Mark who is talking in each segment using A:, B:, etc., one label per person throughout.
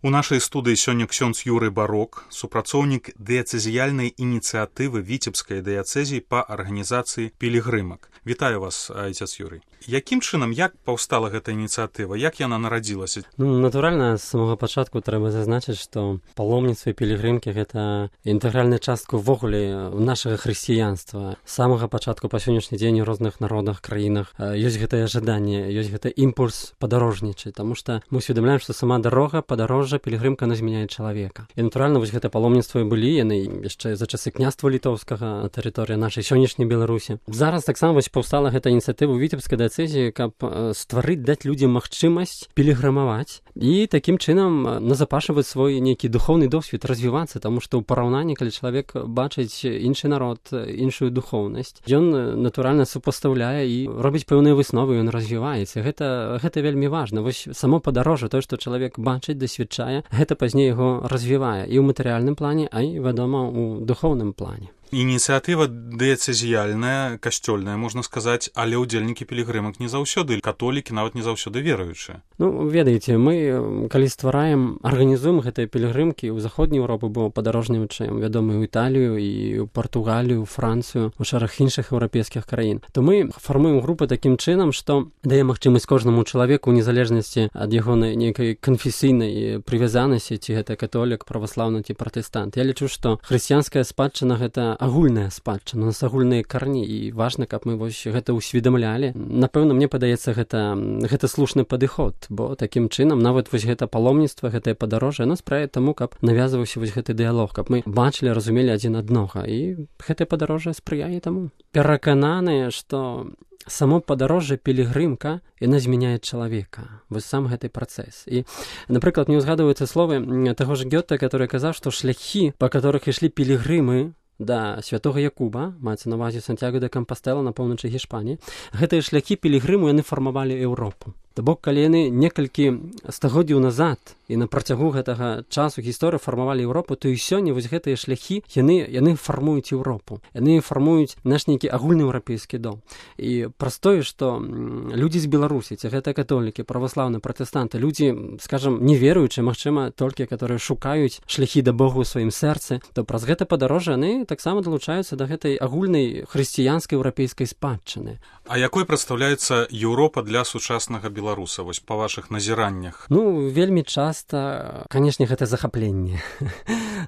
A: У нашай студыі сёння ксёндз Юрый Барок, супрацоўнік дыяцэзіяльнай ініцыятывы Віцебскай дыяцэзіі па арганізацыі пілігрымак. Вітаю вас, айцец Юрый. Якім чынам, як паўстала гэта ініцыятыва, як яна нарадзілася?
B: Натуральна, з самага пачатку трэба зазначыць, што паломніцтва і пілігрымкі гэта інтэгральная частка ўвогуле нашага хрысціянства. З самага пачатку па сённяшні дзень у розных народах, краінах ёсць гэтае жаданне, ёсць гэты імпульс падарожнічаць, таму што мы усведамляем, што сама дарога, падарожжа, пілігрымка, она змяняе чалавека. І натуральна, вось гэта паломніцтва і былі, яны яшчэ за часы княства літоўскага на тэрыторыі нашай сённяшняй Беларусі. Зараз таксама вось паўстала гэта ініцыятыва Віцебскай дыяцэзіі, каб стварыць, даць людзям магчымасць пілігрымаваць і такім чынам назапашваць свой нейкі духоўны досвед, развівацца, таму што ў параўнанні, калі чалавек бачыць іншы народ, іншую духоўнасць, ён натуральна супастаўляе і робіць пэўныя высновы, ён развіваецца. Гэта вельмі важна. Вось само падарожжа, тое, што чалавек бачыць, дасведчае, гэта пазней яго развівае і ў матэрыяльным плане, а і, вядома, у духоўным плане.
A: Ініцыятыва дыяцэзіяльная, касцёльная, можна сказаць, але ўдзельнікі пілігрымак не заўсёды католікі, нават не заўсёды веруючыя.
B: Ведаеце, мы, калі ствараем, арганізуем гэтыя пілігрымкі ў заходняй Еўропы, бо падарожнічаем, вядома, ў Італію, і ў Партугалію, ў Францыю, у шэраг іншых еўрапейскіх краін, то мы фармуем групы такім чынам, што дае магчымасць кожнаму чалавеку ў незалежнасці ад яго нейкай канфесійнай прывязанасці, ці гэта католік, праваслаўны ці пратэстант. Я лічу, што хрысціянская спадчына гэта агульная спадчына, у нас агульныя карні, і важна, каб мы вось гэта усведамлялі. Напэўна, мне падаецца, гэта слушны падыход, бо такім чынам нават вось гэта паломніцтва, гэтае падарожжа, яно спрыяе таму, каб навязваўся вось гэты дыялог, каб мы бачылі, разумелі адзін аднога, і гэтае падарожжа спрыяе таму. Перакананыя, што само падарожжа, пілігрымка, яна змяняе чалавека. Вось сам гэты працэс. І, напрыклад, мне ўзгадваюцца словы таго ж Гёте, который казаў, што шляхі, па которых ішлі пілігрымы да святога Якуба, маецца на ўвазе Сантьяго де Кампастэла на поўначы Гішпаніі, гэтыя шляхі пілігрыму яны фармавалі Еўропу. То бок, калі яны некалькі стагоддзяў назад і на працягу гэтага часу гісторыі фармавалі Еўропу, то і сёння вось гэтыя шляхі, яны фармуюць Еўропу. Яны фармуюць наш нейкі агульны еўрапейскі дом. І праз тое, што людзі з Беларусі, ці гэта католікі, праваслаўныя, пратэстанты, людзі, скажам, неверуючыя, магчыма, толькі, которые шукаюць шляхі да Богу ў сваім сэрцы, то праз гэта падарожжа яны таксама далучаюцца да гэтай агульнай хрысціянскай еўрапейскай спадчыны.
A: А якой прадстаўляецца Еўропа для сучаснага беларуса, вось па вашых назіраннях?
B: Вельмі часта, канешне, гэта захапленне.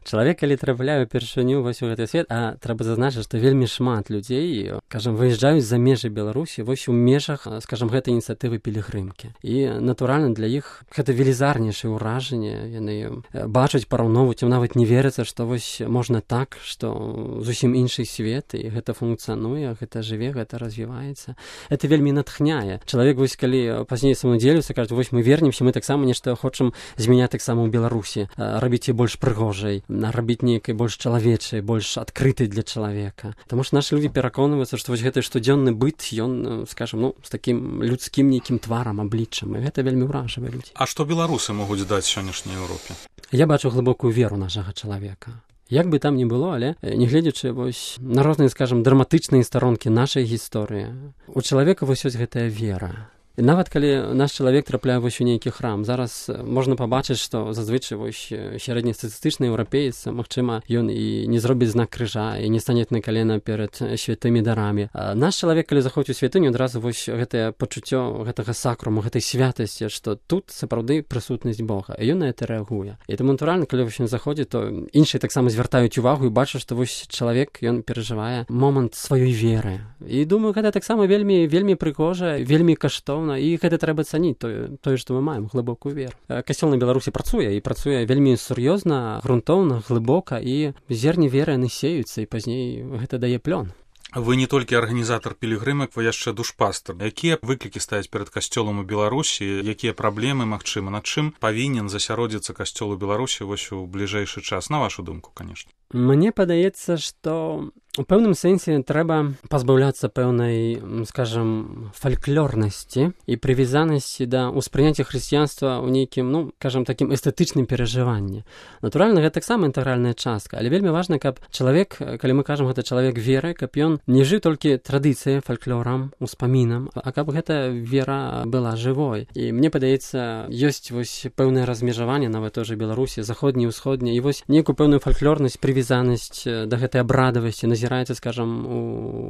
B: Чалавек, калі трапляе упершыню вось у гэты свет, а трэба зазначыць, што вельмі шмат людзей, кажам, выязджаюць за межы Беларусі вось у межах, скажам, гэтай ініцыятывы пілігрымкі. І, натуральна, для іх гэта велізарнейшае ўражанне. Яны бачаць, параўноўваюць, нават не верыцца, што вось можна так, што зусім іншы свет, і гэта функцыянуе, гэта жыве, гэта развіваецца. Это вельмі натхняе. Чалавек, вось калі пазней самадзелюцца, кажуць, вось мы вернемся, мы таксама нешта хочам змяняць таксама ў Беларусі, рабіць яе больш прыгожай, рабіць нейкай больш чалавечай, больш адкрытай для чалавека. Таму што нашы людзі пераконваюцца, што вось гэты штодзённы быт, ён, скажам, з такім людскім нейкім тварам, абліччам, і гэта вельмі ўражвае людзей.
A: А што беларусы могуць даць сённяшняй Еўропе?
B: Я бачу глыбокую веру нашага чалавека. Як бы там ні было, але нягледзячы вось на розныя, скажам, драматычныя старонкі нашай гісторыі, у чалавека вось ёсць гэтая вера. І нават калі наш чалавек трапляе вось у нейкі храм, зараз можна пабачыць, што зазвычай вось сярэднестатыстычны еўрапеец, магчыма, ён і не зробіць знак крыжа, і не стане на калена перад святымі дарамі. А наш чалавек, калі заходзіць у святыню, адразу вось гэтае пачуццё гэтага сакруму, гэтай святасці, што тут сапраўды прысутнасць Бога, і ён на гэта рэагуе. І таму, натуральна, калі вось ён заходзіць, то іншыя таксама звяртаюць увагу і бачаць, што вось чалавек, ён перажывае момант сваёй веры. І думаю, гэта таксама вельмі прыгожа, вельмі каштоўна. І гэта трэба цаніць, тое, што мы маем, глыбокую веру. Касцёл на Беларусі працуе, і працуе вельмі сур'ёзна, грунтоўна, глыбока, і зерні веры яны сеюцца, і пазней гэта дае плён.
A: Вы не толькі арганізатар пілігрымак, вы яшчэ душпастар. Якія выклікі стаяць перад касцёлам у Беларусі, якія праблемы, магчыма, над чым павінен засяродзіцца касцёл у Беларусі вось у бліжэйшы час, на вашу думку, канешне?
B: Мне падаецца, што У пэўным сэнсе трэба пазбаўляцца пэўнай, скажам, фальклорнасці і прывязанасці да ўспрыняцця хрысціянства ў нейкім, скажам, такім эстэтычным перажыванні. Натуральна, гэта таксама інтэгральная частка, але вельмі важна, каб чалавек, калі мы кажам, гэта чалавек веры, каб ён не жыў толькі традыцыяй, фальклорам, успамінам, а каб гэта вера была жывой. І мне падаецца, ёсць вось пэўнае размежаванне нават той жа Беларусі, заходняй, усходняй, і вось нейкую пэўную фальклорнасць, прывязанасць да гэтай абрадавасці назіраецца, скажам,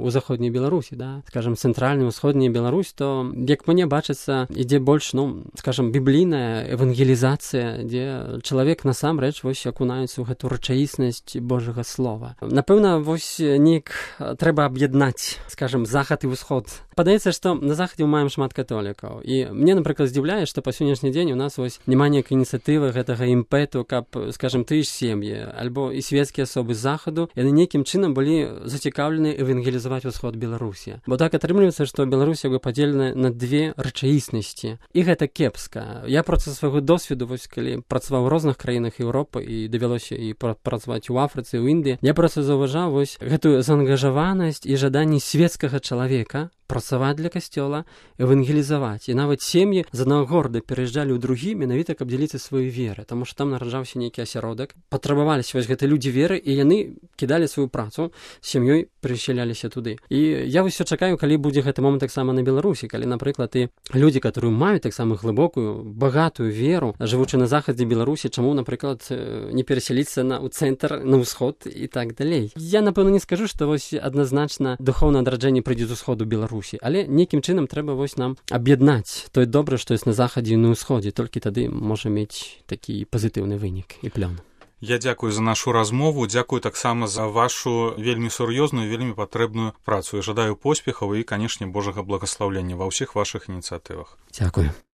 B: у заходняй Беларусі, да? Скажам, цэнтральная, усходняя Беларусь, то, як мне бачыцца, ідзе больш, скажам, біблійная евангелізацыя, дзе чалавек насамрэч вось акунаецца ў гэту рэчаіснасць Божага слова. Напэўна, вось неяк трэба аб'яднаць, скажам, захад і ўсход. Падаецца, што на захадзе мы маем шмат католікаў. І мне, напрыклад, здзіўляе, што па сённяшні дзень у нас вось няма ніякай ініцыятывы гэтага імпэту, каб, скажам, тыя ж сем'і, альбо і свецкія асобы з захаду, яны нейкім чынам былі зацікаўлены евангелізаваць усход Беларусі. Бо так атрымліваецца, што Беларусь як бы падзелена на две рэчаіснасці. І гэта кепска. Я проста свайго досведу, вось калі працаваў у розных краінах Еўропы і давялося і працаваць у Афрыцы, у Індыі, я проста заўважаў вось гэтую заангажаванасць і жаданне свецкага чалавека працаваць для касцёла, евангелізаваць. І нават сем'і з аднаго горада пераязджалі ў другі менавіта, каб дзяліцца сваёй веры, таму што там нараджаўся нейкі асяродак. Патрабаваліся вось гэтыя людзі веры, і яны кідалі сваю працу, з сям'ёй перасяляліся туды. І я вось чакаю, калі будзе гэты момант таксама на Беларусі, калі, напрыклад, і людзі, которые маюць таксама глыбокую, багатую веру, жывучы на захадзе Беларусі, чаму, напрыклад, не перасяліцца ў цэнтр, на ўсход і так далей. Я, напэўна, не скажу, што вось адназначна духоўнае адраджэнне прыйдзе з усходу Беларусі, але нейкім чынам трэба вось нам аб'яднаць тое добра, што ёсць на захадзе і на ўсходзе, толькі тады можа мець такі пазітыўны вынік і плён.
A: Я дзякую за нашу размову, дзякую таксама за вашу вельмі сур'ёзную, вельмі патрэбную працу. І жадаю поспехаў і, канешне, Божага благаслаўлення ва ўсіх вашых ініцыятывах.
B: Дзякую.